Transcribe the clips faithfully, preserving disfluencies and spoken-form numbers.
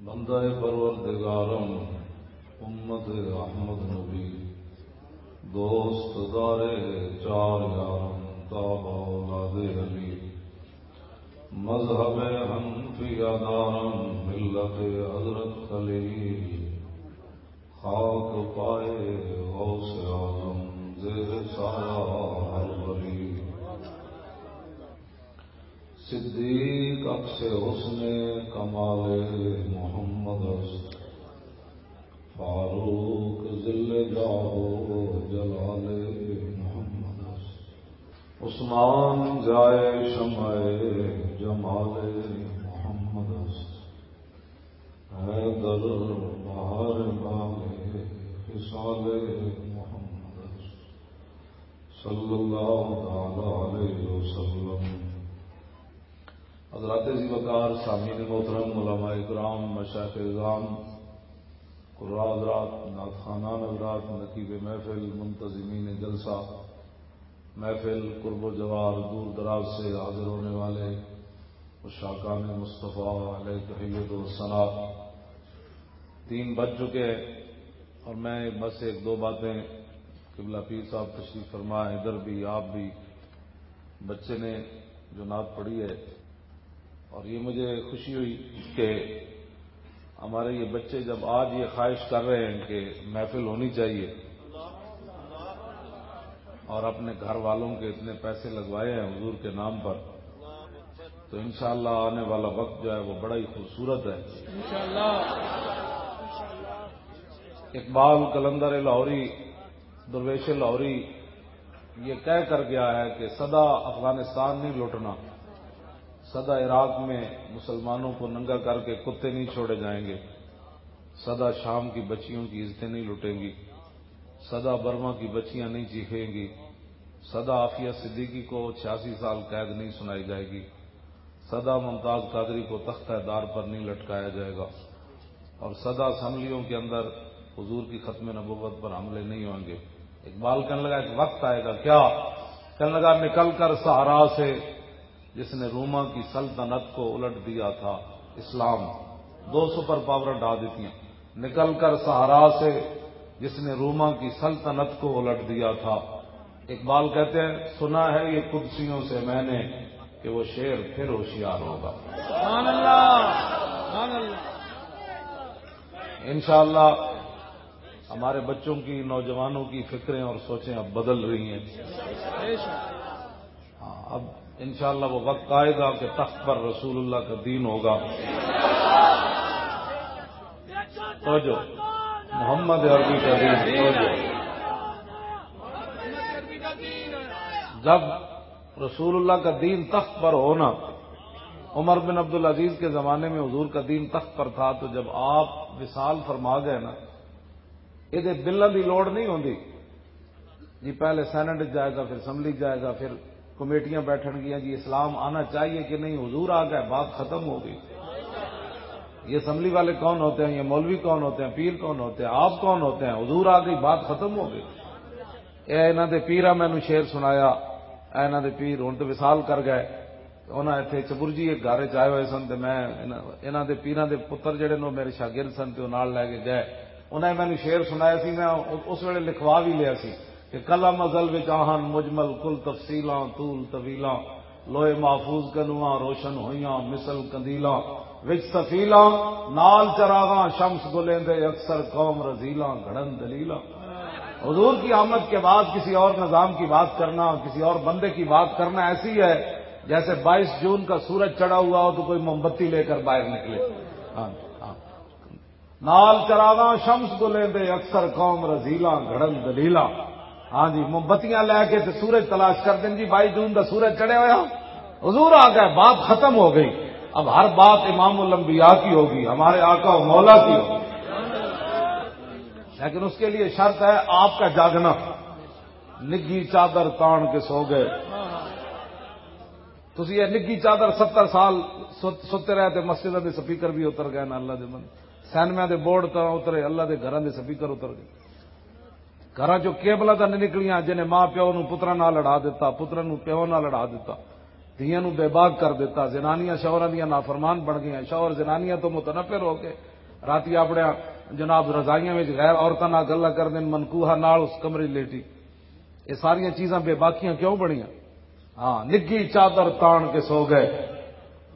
بندہ پروردگارم، امت احمد نبی، دوست دار چار یارم، تاب اولاد علی، مذہب حنفیہ دارم، ملت حضرت خلیل، خاک پائے غوث اعظم، زیر سایہ ہر ولی۔ صدیق عکس حسن کمال محمد است، فاروق ذل جاه و جلال محمد است، عثمان جای شمع جمال محمد است، حیدر بهار بال خصال محمد است، صلی اللہ تعالی علیہ وسلم۔ حضرات ذی وقار، سامعین محترم، علماء کرام، مشائخ عظام، قراء حضرات، نعت خوانان حضرات، نقیب محفل، منتظمین جلسہ، محفل قرب و جوار، دور دراز سے حاضر ہونے والے عشاقان مصطفیٰ علیہ تحیت و ثنا، تین بج چکے ہیں اور میں بس ایک دو باتیں، قبلہ پیر صاحب تشریف فرما ہیں، ادھر بھی، آپ بھی، بچے نے جو نعت پڑھی ہے، اور یہ مجھے خوشی ہوئی کہ ہمارے یہ بچے جب آج یہ خواہش کر رہے ہیں کہ محفل ہونی چاہیے اور اپنے گھر والوں کے اتنے پیسے لگوائے ہیں حضور کے نام پر، تو انشاءاللہ آنے والا وقت جو ہے وہ بڑا ہی خوبصورت ہے۔ اقبال قلندر لاہوری، درویش لاہوری یہ کہہ کر گیا ہے کہ سدا افغانستان نہیں لوٹنا، سدا عراق میں مسلمانوں کو ننگا کر کے کتے نہیں چھوڑے جائیں گے، سدا شام کی بچیوں کی عزتیں نہیں لٹیں گی، سدا برما کی بچیاں نہیں چیخیں گی، سدا عافیہ صدیقی کو چھیاسی سال قید نہیں سنائی جائے گی، سدا ممتاز قادری کو تختہ دار پر نہیں لٹکایا جائے گا، اور سدا اسمبلیوں کے اندر حضور کی ختم نبوت پر حملے نہیں ہوں گے۔ اقبال کہنے لگا، ایک وقت آئے گا، کیا؟ کہنے لگا، نکل کر صحرا سے جس نے روما کی سلطنت کو الٹ دیا تھا، اسلام، دو سپر پاور ڈھا دیتی ہیں۔ نکل کر صحرا سے جس نے روما کی سلطنت کو الٹ دیا تھا۔ اقبال کہتے ہیں، سنا ہے یہ قدسیوں سے میں نے کہ وہ شیر پھر ہوشیار ہوگا۔ سبحان اللہ، سبحان اللہ۔ انشاءاللہ ہمارے بچوں کی، نوجوانوں کی فکریں اور سوچیں اب بدل رہی ہیں۔ ہاں، اب انشاءاللہ وہ وقت آئے گا کہ تخت پر رسول اللہ کا دین ہوگا۔ توجہ، محمد عربی کا دین، توجہ۔ جب رسول اللہ کا دین تخت پر ہو نا، عمر بن عبد العزیز کے زمانے میں حضور کا دین تخت پر تھا، تو جب آپ وصال فرما گئے نا، یہ بلوں کی لوڑ نہیں ہوندی۔ جی، پہلے سینٹ جائے گا، پھر اسمبلی جائے گا، پھر کمیٹیاں بیٹھن گیاں، جی اسلام آنا چاہیے کہ نہیں، حضور آ گئے، بات ختم ہو گئی۔ یہ اسمبلی والے کون ہوتے ہیں، یہ مولوی کون ہوتے ہیں، پیر کون ہوتے ہیں، آپ کون ہوتے ہیں؟ حضور آ گئی، بات ختم ہو گئی۔ اے انہاں دے پیراں مینوں شعر سنایا، اے انہاں دے پیر ہن تے وصال کر گئے۔ انہاں ایتھے چبرجی ایک گھر وچ آئے ہوئے سن تے میں انہاں، انہاں دے پیراں دے پتر جڑے نے، او میرے شاگرد سن تے او نال لے کے گئے۔ انہاں نے مینوں شعر سنایا سی، میں اس ویلے لکھوا بھی لیا سی کہ قلم ازل وچ آہن مجمل کل تفصیلاں طول طویلاں، لوہے محفوظ کنواں روشن ہویاں مثل قندیلاں، وچ سفیلاں نال چراغاں شمس گلیندے اکثر قوم رزیلاں گھڑن دلیلاں۔ حضور کی آمد کے بعد کسی اور نظام کی بات کرنا، کسی اور بندے کی بات کرنا ایسی ہے جیسے بائیس جون کا سورج چڑھا ہوا ہو تو کوئی موم بتی لے کر باہر نکلے۔ ہاں، ہاں۔ نال چراغاں شمس گلیں دے اکثر قوم رزیلاں گھڑن دلیلاں۔ ہاں جی، موم بتیاں لے کے تے سورج تلاش کر دیں جی، بائیس جون دا سورج چڑھے ہویا، حضور آ گئے، بات ختم ہو گئی۔ اب ہر بات امام الانبیاء کی ہوگی، ہمارے آقا و مولا کی ہوگی۔ لیکن اس کے لیے شرط ہے آپ کا جاگنا۔ نگھی چادر تان کے سو گئے۔ تسی یہ نگھی چادر ستر سال ست-، ستے رہے تے مسجداں دے سپیکر بھی اتر گئے نا اللہ دے بندے۔ سینمے دے بورڈ تاں اترے، اللہ دے گھراں دے سپیکر اتر گئے۔ گھراں چوں کیبلاں تاں نہیں نکلیاں، جنہیں ماں پیو نوں پتراں نال لڑا دتا، پتراں نوں پیو نال لڑا دتا، دھیاں نوں بے باک کر دتا، زنانیاں شوہراں دیاں نافرمان بن گئیاں، شوہر زنانیاں تو متنفر ہو کے راتی اپنے جناب رضائیاں وچ غیر عورتاں نال گلاں کردے نے، منکوحہ نال اس کمرے لیٹی۔ یہ ساریاں چیزاں بے باکیاں کیوں بنیاں؟ ہاں، نگھی چادر تان کے سو گئے۔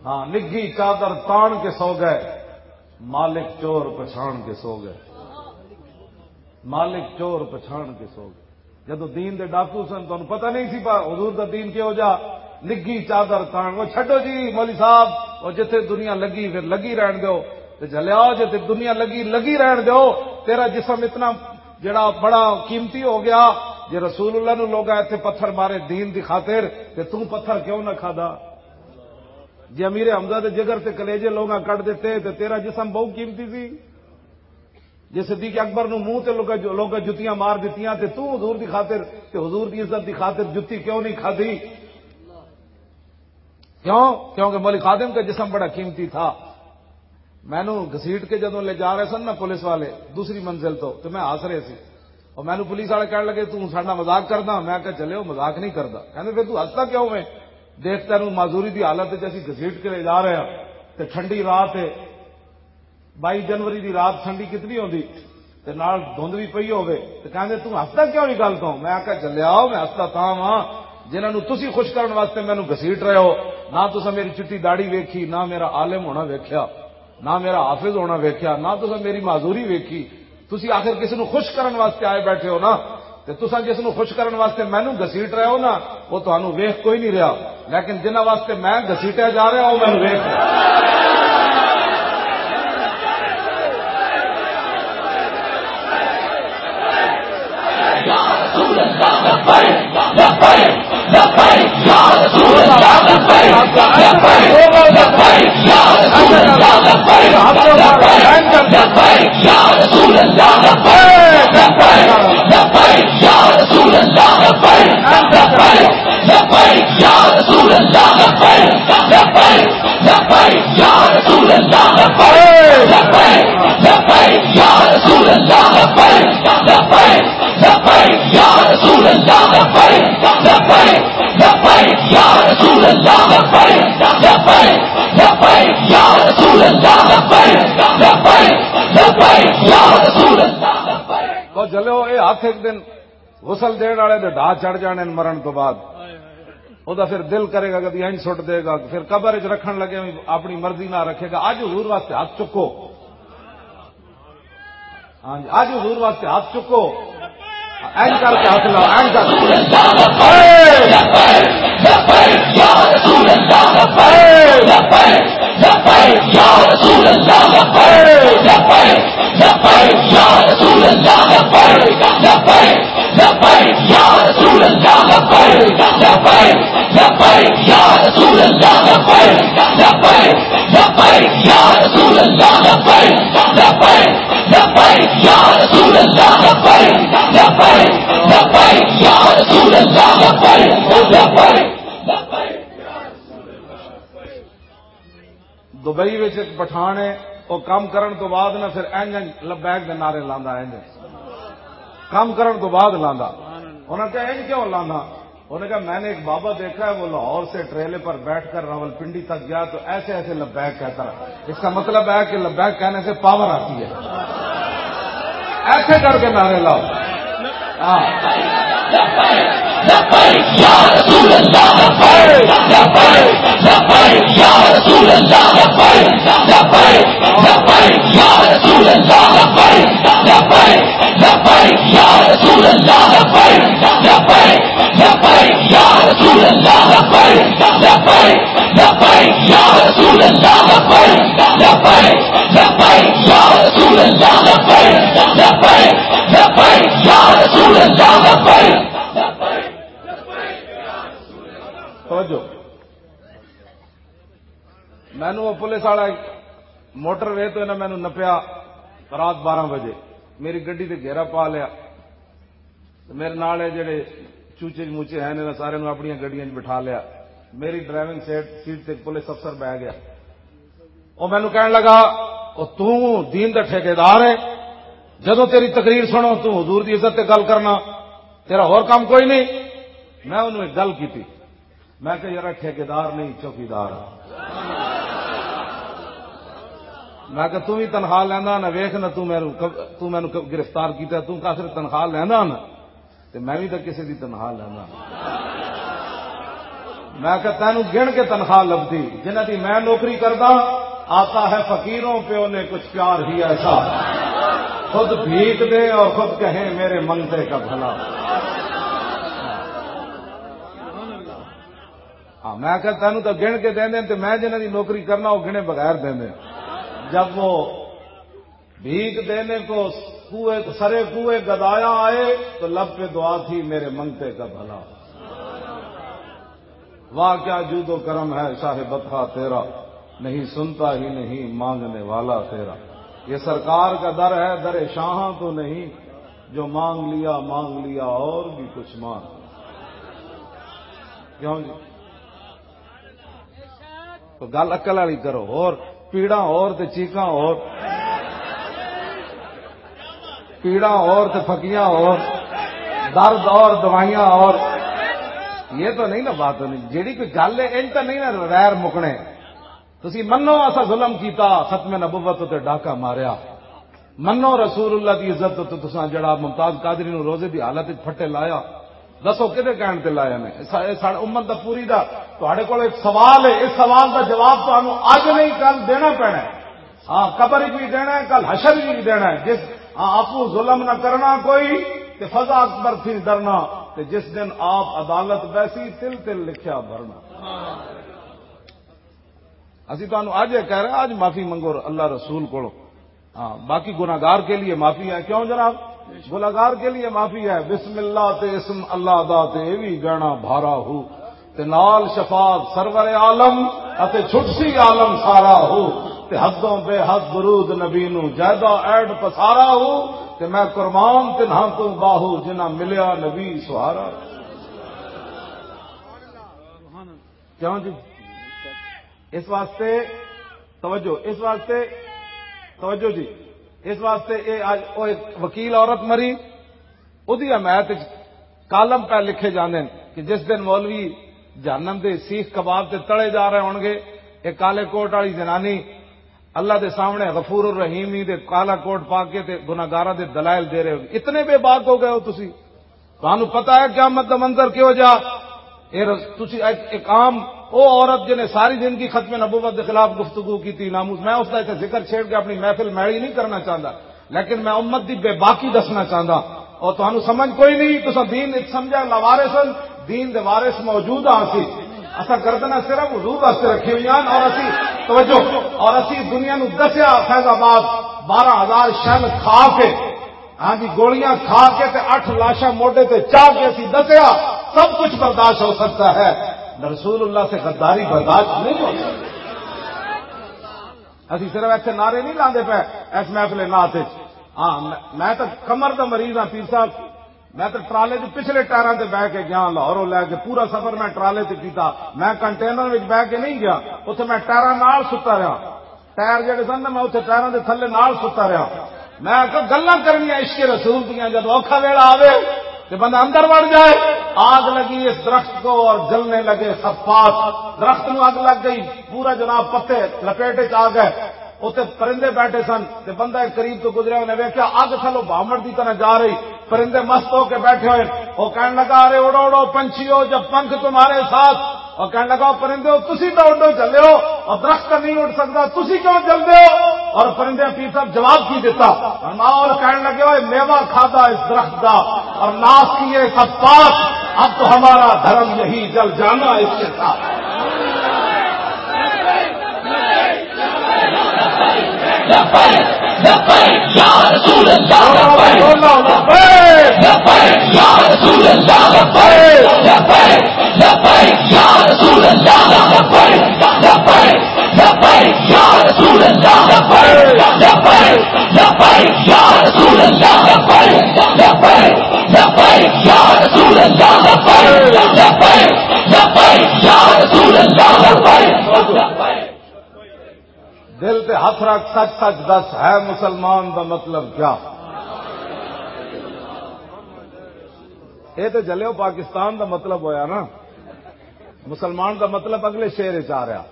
ہاں، نگھی چادر تان کے سو گئے۔ مالک چور پچھان کے سو گئے۔ مالک چور پچھان کے سو گئے۔ جدوں دین دے ڈاکو سن، تانوں پتہ نہیں سی پا حضور دا دین کیہو جا۔ نگھی چادر تان، وہ چھڈو جی مولوی صاحب، وہ جتھے دنیا لگی پھر لگی رہن دیو۔ تے جھلیا، جے تے دنیا لگی لگی رہن دیو۔ تیرا جسم اتنا جڑا بڑا قیمتی ہو گیا، جے رسول اللہ نو لوگا ایتھے پتھر مارے دین دی خاطر، تے توں پتھر کیوں نہ کھادا؟ جے امیر حمزہ دے جگر تے کلیجے لوگا کٹ دتے، تے تیرا جسم بہت قیمتی سی۔ جے صدیق اکبر نو منہ تے لوگا، لوگا جتیاں مار دتیاں، تے توں حضور دی خاطر، تے حضور دی عزت دی خاطر جتی کیوں نہیں کھادی؟ کیوں؟ کیونکہ مولوی خادم کا جسم بڑا قیمتی تھا۔ مینوں گھسیٹ کے جدوں لے جا رہے سن نا پولیس والے دوسری منزل تو، تو میں ہس رہے سی۔ اور مینوں پولیس والے کہن لگے، "توں ساڈا مذاق کردا؟" میں کہا، "چلے، وہ مذاق نہیں کردا۔" کہندے، "پھر توں ہسدا کیوں میں؟ دیکھ، تینوں معذوری دی حالت وچ اسی گھسیٹ کے لے جا رہے ہاں، تے ٹھنڈی رات ہے۔" بائی جنوری دی رات ٹھنڈی کتنی ہوندی، تے نال دھند بھی پئی ہووے، تے کہندے، "توں ہسدا کیوں نہیں گل تو؟" میں آکھیا، "جلیا، میں ہسدا تاں واں، جنہاں نوں تسی خوش کرن واسطے مینوں گھسیٹ رہے ہو۔ نہ تساں میری چٹی داڑھی ویکھی، نہ میرا عالم ہونا ویکھیا، نہ میرا حافظ ہونا ویکھیا، نہ تساں میری معذوری ویکھی۔ تسی آخر کسی نوں خوش کرن واسطے آئے بیٹھے ہو نا، تے تساں جس نوں خوش کرن واسطے مینوں گھسیٹ رہے ہو نا، وہ تانوں ویکھ کوئی نہیں رہا، لیکن جنہاں واسطے میں گھسیٹیا جا رہا، وہ مینوں ویکھ رہا۔" تو چلو، یہ ہاتھ ایک دن غسل دین والے دے ڈھا چڑھ جانے نے مرن تو بعد۔ او دا پھر دل کرے گا، کدی انج سٹ دے گا، پھر قبر وچ رکھن لگے بھی اپنی مرضی نہ رکھے گا۔ اج حضور واسطے ہاتھ چکو۔ ہاں جی، اج حضور واسطے ہاتھ چکو۔ انج کر کے ہاتھ لاؤ، انج کر۔ دبئی وچ ایک پٹھان ہے، وہ کام کرن تو بعد نہ پھر اینج اینج لبیک دے نعرے لاندا، اینج کام کرن تو بعد لاندا۔ انہاں کہا، "اینج کیوں لاندا؟" انہوں نے کہا، "میں نے ایک بابا دیکھا ہے، وہ لاہور سے ٹریلے پر بیٹھ کر راولپنڈی تک گیا تو ایسے ایسے لبیک کہتا رہا۔" اس کا مطلب ہے کہ لبیک کہنے سے پاور آتی ہے۔ ایسے کر کے نعرے لاؤ۔ ہاں۔ توجہ۔ مینوں وہ پولیس والا موٹر وے تو انہاں مینوں نپیا رات بارہ بجے، میری گڈی تے گھیرا پا لیا۔ تے میرے نال اے جڑے چوچے موچے ہیں، انہاں سارے نوں اپنیاں گڈیاں 'چ بٹھا لیا۔ میری ڈرائیونگ سیٹ، سیٹ تے ایک پولیس افسر بہ گیا۔ وہ مینوں کہن لگا، "او توں دین دا ٹھیکیدار ہے، جدوں تیری تقریر سنو توں حضور دی عزت تے گل کرنا، تیرا ہور کام کوئی نہیں۔" میں انہوں ایک گل کیتی، میں کہا، "یار، ٹھیکیدار نہیں، چوکیدار ہاں۔" میں کہ توں وی تنخواہ لیندا نا، ویکھ نا، توں مینوں ک-، توں مینوں ک-، گرفتار کیتا، توں کافر تنخواہ لیندا نا، تے میں وی تاں کسے دی تنخواہ لیندا نا۔ میں کہ تینوں گن کے تنخواہ لبدی، جنہاں دی میں نوکری کردا، آتا ہے فقیروں پہ انہیں کچھ پیار ہی ایسا، خود بھیک دے اور خود کہیں میرے منگتے کا بھلا۔ ہاں، میں آخیا، "تینوں تو گن کے دیندے نے، تے میں جنہاں دی نوکری کرنا، وہ گنے بغیر دیندے نے۔" جب وہ بھیک دینے کو کوئے، سرے کوئے گدایا آئے، تو لب پہ دعا تھی، "میرے منگتے کا بھلا۔" واہ، کیا جود و کرم ہے شاہ بطحا تیرا، نہیں سنتا ہی نہیں مانگنے والا تیرا۔ یہ سرکار کا در ہے، در شاہاں تو نہیں، جو مانگ لیا، مانگ لیا اور بھی کچھ مانگ۔ کیوں جی؟ تو گل عقل والی کرو، اور پیڑاں اور تے چیخاں اور، پیڑاں اور تے پھکیاں اور، درد اور دوائیاں اور۔ یہ تو نہیں نا بات ہونی۔ جیڑی کوئی گل ہے، ان تو نہیں نا ویر مکنے۔ تسی منو، اسا ظلم کیتا، ختم نبوت تے ڈاکہ ماریا۔ منو رسول اللہ دی عزت تے تساں جڑا ممتاز قادری نوں روزے دی حالت وچ پھٹے لایا، دسو کدے کہن تے لایا نے؟ سا-، اے ساڈے امت دا پوری دا، تہاڈے کول ایک سوال ہے، اس سوال دا جواب تانوں اج نہیں، کل دینا پینا ہے۔ ہاں، قبر وچ بھی دینا ہے، کل حشر وچ بھی دینا ہے۔ جس، ہاں، آپو ظلم نہ کرنا کوئی، تے فضا اکبر تھی ڈرنا، تے جس دن آپ عدالت بیسی، تل تل لکھیا بھرنا۔ اسی تانوں اج یہ کہہ رہے ہیں، اج معافی منگو اللہ رسول کولوں۔ ہاں، باقی گناہگار کے لیے معافی ہے۔ کیوں جناب؟ گناہگار کے لیے معافی ہے۔ بسم اللہ تے اسم اللہ دا تے اے وی گہنا بھارا ہو، تے نال شفاعت سرور عالم اتے چھٹسی عالم سارا ہو، تے حدوں بے حد درود نبی نو جیدا ایڈ پسارا ہو، تے میں قربان تنہاں تو باہو جنہاں ملیا نبی سہارا۔ کیوں جی؟ اس واسطے توجہ، اس واسطے توجہ جی، اس واسطے اے اج او ایک وکیل عورت مری، اودی حمایت وچ کالم پہ لکھے جاندے نے کہ جس دن مولوی جہنم دے سیخ کباب تے تڑے جا رہے ہون گے، اے کالے کوٹ والی زنانی اللہ دے سامنے غفور الرحیم ہی دے کالا کوٹ پا کے تے گناہگاراں دے دلائل دے رہے ہو۔ اتنے بے باک ہو گئے ہو تسی؟ تانوں پتہ ہے قیامت دا منظر کیہو جا؟ اے رس-، تسی ایک، ایک عام او عورت جنے ساری زندگی ختم نبوت دے خلاف گفتگو کیتی، ناموس، میں اس دا اتھے ذکر چھیڑ کے اپنی محفل میلی نہیں کرنا چاہندا، لیکن میں امت دی بے باکی دسنا چاہندا۔ اور تانوں سمجھ کوئی نہیں، تساں دین اتھ سمجھا لاوارث ہن، دین دے وارث موجود ہاں اسی۔ اساں گردناں صرف حضور واسطے رکھی ہوئی ہن اور اسی، توجہ، اور اسی دنیا نو دسیا فیض آباد بارہ ہزار شل کھا کے، ہاں جی، گولیاں کھا کے تے اٹھ لاشاں موڈے تے چا کے اسی دسیا، سب کچھ برداشت ہو سکتا ہے، رسول اللہ سے غداری برداشت نہیں ہو سکتی۔ اسی صرف ایتھے نعرے نہیں لاندے پے اس محفل نعت وچ۔ ہاں، میں، میں تو کمر دا مریض ہاں پیر صاحب، میں تو ٹرالے دے پچھلے ٹائراں تے بہ کے گیا، لاہوروں لے کے پورا سفر میں ٹرالے تے کیتا۔ میں کنٹینر وچ بہ کے نہیں گیا، اتھے میں ٹائراں نال ستا رہا۔ ٹائر جڑے سن نا، میں اتھے ٹائراں دے تھلے نال ستا رہا۔ میں آکھیا، گلاں کرنیاں عشق رسول دیاں، جدوں اوکھا ویلا آوے تے بندہ اندر وڑ جائے۔ آگ لگی اس درخت کو اور جلنے لگے صفات۔ درخت نو اگ لگ گئی، پورا جناب پتے لپیٹ وچ آ گئے۔ اتھے پرندے بیٹھے سن تے بندہ ایک قریب تو گزریا، انہیں ویکھیا اگ تھلوں بھاوڑ دی طرح جا رہی۔ پرندے مست ہو کے بیٹھے ہوئے۔ وہ کہنے لگا، "ارے اڑو اڑو پنچھیو، جب پنکھ تمہارے ساتھ۔" اور کہنے لگا، "او پرندے ہو، تسی تو اڈو چلے ہو اور درخت نہیں اڑ سکتا، تسی کیوں چلتے ہو؟" اور پرندے پیر صاحب جواب کی دیتا؟ اور ماحول کہنے لگے، "اوے میوہ کھادا اس درخت دا اور ناس کیے سب پاک، اب تو ہمارا دھرم یہی جل جانا اس کے ساتھ۔" لبیک، لبیک، یا رسول اللہ، لبیک۔ لبیک، یا رسول اللہ، لبیک۔ لبیک، لبیک، یا رسول اللہ، لبیک۔ لبیک، لبیک، یا رسول اللہ، لبیک۔ لبیک، لبیک، یا رسول اللہ، لبیک۔ لبیک، لبیک، یا رسول اللہ، لبیک۔ لبیک، لبیک، یا رسول اللہ، لبیک۔ دل تے ہاتھ رکھ، سچ سچ دس، ہے مسلمان دا مطلب کیا؟ اے تے جلیو پاکستان دا مطلب ہویا نا۔ مسلمان دا مطلب اگلے شعر وچ آ رہا۔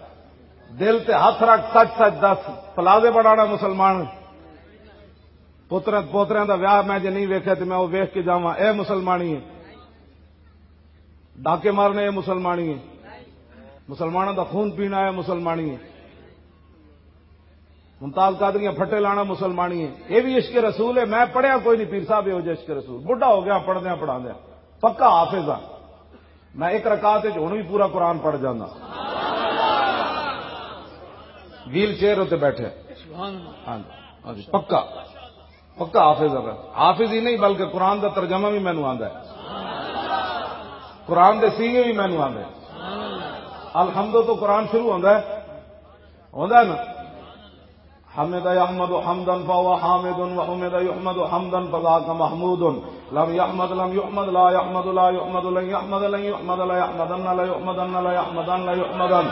دل تے ہاتھ رکھ، سچ سچ دس، پلازے بنانا مسلمان؟ پوترے پوتریاں دا ویاہ میں جے نہیں ویکھیا تے میں او ویکھ کے جاواں، اے مسلمانی ہے؟ ڈاکے مارنے، اے مسلمانی ہے؟ مسلماناں دا خون پینا، اے مسلمانی ہے؟ ممتاز قادریاں پھٹے لانا، مسلمانی ہے؟ اے بھی عشق رسول ہے؟ میں پڑھیا کوئی نہیں پیر صاحب، اے ہو جے عشق رسول، بڈھا ہو گیا پڑھدیاں پڑھاندیاں، پکا حافظ ہاں۔ میں ایک رکعت وچ ہن وی پورا قرآن پڑھ جانا۔ ویل چیئر اتنے بیٹھے۔ ہاں جی، ہاں جی، پکا، پکا حافظ ہے۔ حافظ ہی نہیں، بلکہ قرآن دا ترجمہ بھی مینوں آندا ہے۔ قرآن دے سیگے بھی مینوں آندے۔ الحمد تو قرآن شروع ہوندا ہے، ہوندا ہے نا؟ حمد يحمد حمدا فهو حامد، وحمد يحمد حمدا فذاك محمود. لم يحمد لم يحمد لا يحمد لا يحمد لن يحمد لن يحمد ليحمدن ليحمدن ليحمدن ليحمدن.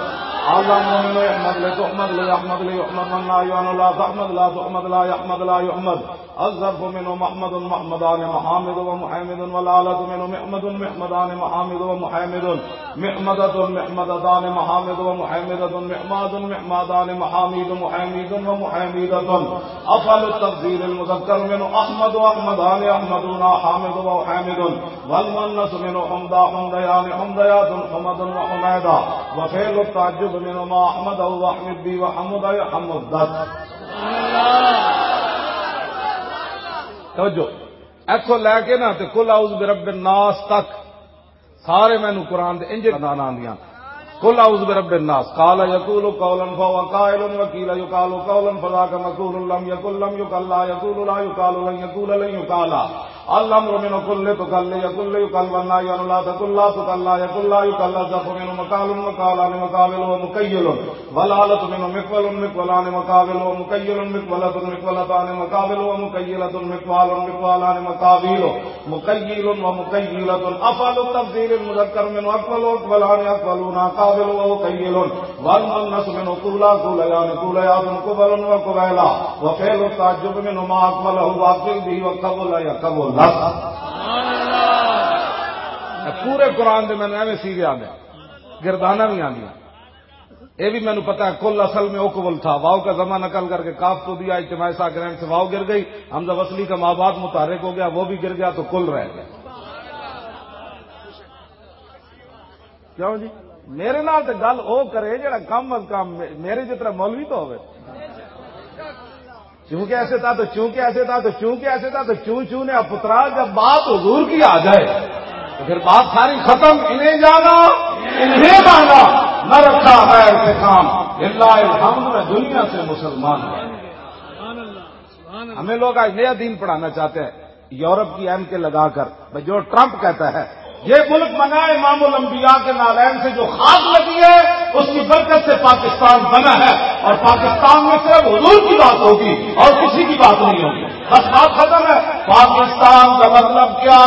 الأمر منه احمد لتحمد ليحمد ليحمد والنهي عنه لا تحمد لا تحمد لا يحمد لا يحمد. الظرف منه محمد محمدان محامد ومحامد والآلة منه محمد محمدان محامد ومحامد. محمدة محمدتان محامد ومحامدة محماد محمادان محاميد محاميد ومحاميدة. أفعل التفضيل المذكر منه أحمد وأحمدان أحمدون أحامد وأحامد. والمؤنث منه حمدى حمديان حمديات حمد وحميدة. وفعل التعجب منه ما أحمده وأحمد به وحمد يحمد. توجہ، ایتھوں لے کے نا تے قل اعوذ برب الناس تک سارے مینوں قرآن دے انج نانا آندیاں۔ قل اعوذ برب الناس، قال يقول قولا فهو قائل، وقيل يقال قولا فذاك مقول، لم يقل لم يقل لا يقول لا يقال لن يقول لن يقال. الأمر منه قل لتقل ليقل ليقل، والنهي عنه لا تقل لا تقل لا يقل لا يقل. الظرف منه مقال مقالان مقابل ومكيل. والآلة منه مقول مقولان مقابل ومكيل مقولة مقولتان مقابل ومكيلة مقوال مقوالان مقاويل مكيل ومكيلة. أفعل التفضيل المذكر منه أقول أقولان أقولون أقابل وأكيل. والمؤنث منه قولا قوليان قوليات قبل وقبيلا. وفعل التعجب منه ما أقبله وأقبل به وقبل يقبل. پورے قرآن دے مینوں ایویں سیدھے آندے، گرداناں بھی آندیاں۔ یہ بھی مینوں پتا ہے، کل اصل میں اوکول تھا، واو کا ضمہ نقل کر کے کاف کو دیا، اجتماع ساکنین سے واو گر گئی، حمزہ وصلی کا مابعد متحرک ہو گیا، وہ بھی گر گیا تو کل رہ گیا۔ کیوں جی؟ میرے نال تے گل او کرے جڑا کم از کم میرے جتنا مولوی تو ہوئے۔ چونکہ ایسے تھا تو، چونکہ ایسے تھا تو، چونکہ ایسے تھا تو، چوں چوں نے اب پترا، جب بات حضور کی آ جائے تو پھر بات ساری ختم۔ انہیں جانا، انہیں مانا، نہ رکھا ہے انتقام، للہ الحمد، میں دنیا سے مسلمان ہوں۔ ہمیں لوگ آج نیا دین پڑھانا چاہتے ہیں، یورپ کی ایم کے لگا کر، بھئی، جو ٹرمپ کہتا ہے، یہ ملک بنا ہے امام الانبیاء کے نالین سے، جو خاک لگی ہے، اس کی برکت سے پاکستان بنا ہے، اور پاکستان میں صرف حضور کی بات ہوگی اور کسی کی بات نہیں ہوگی۔ بس بات ختم ہے۔ پاکستان کا مطلب کیا؟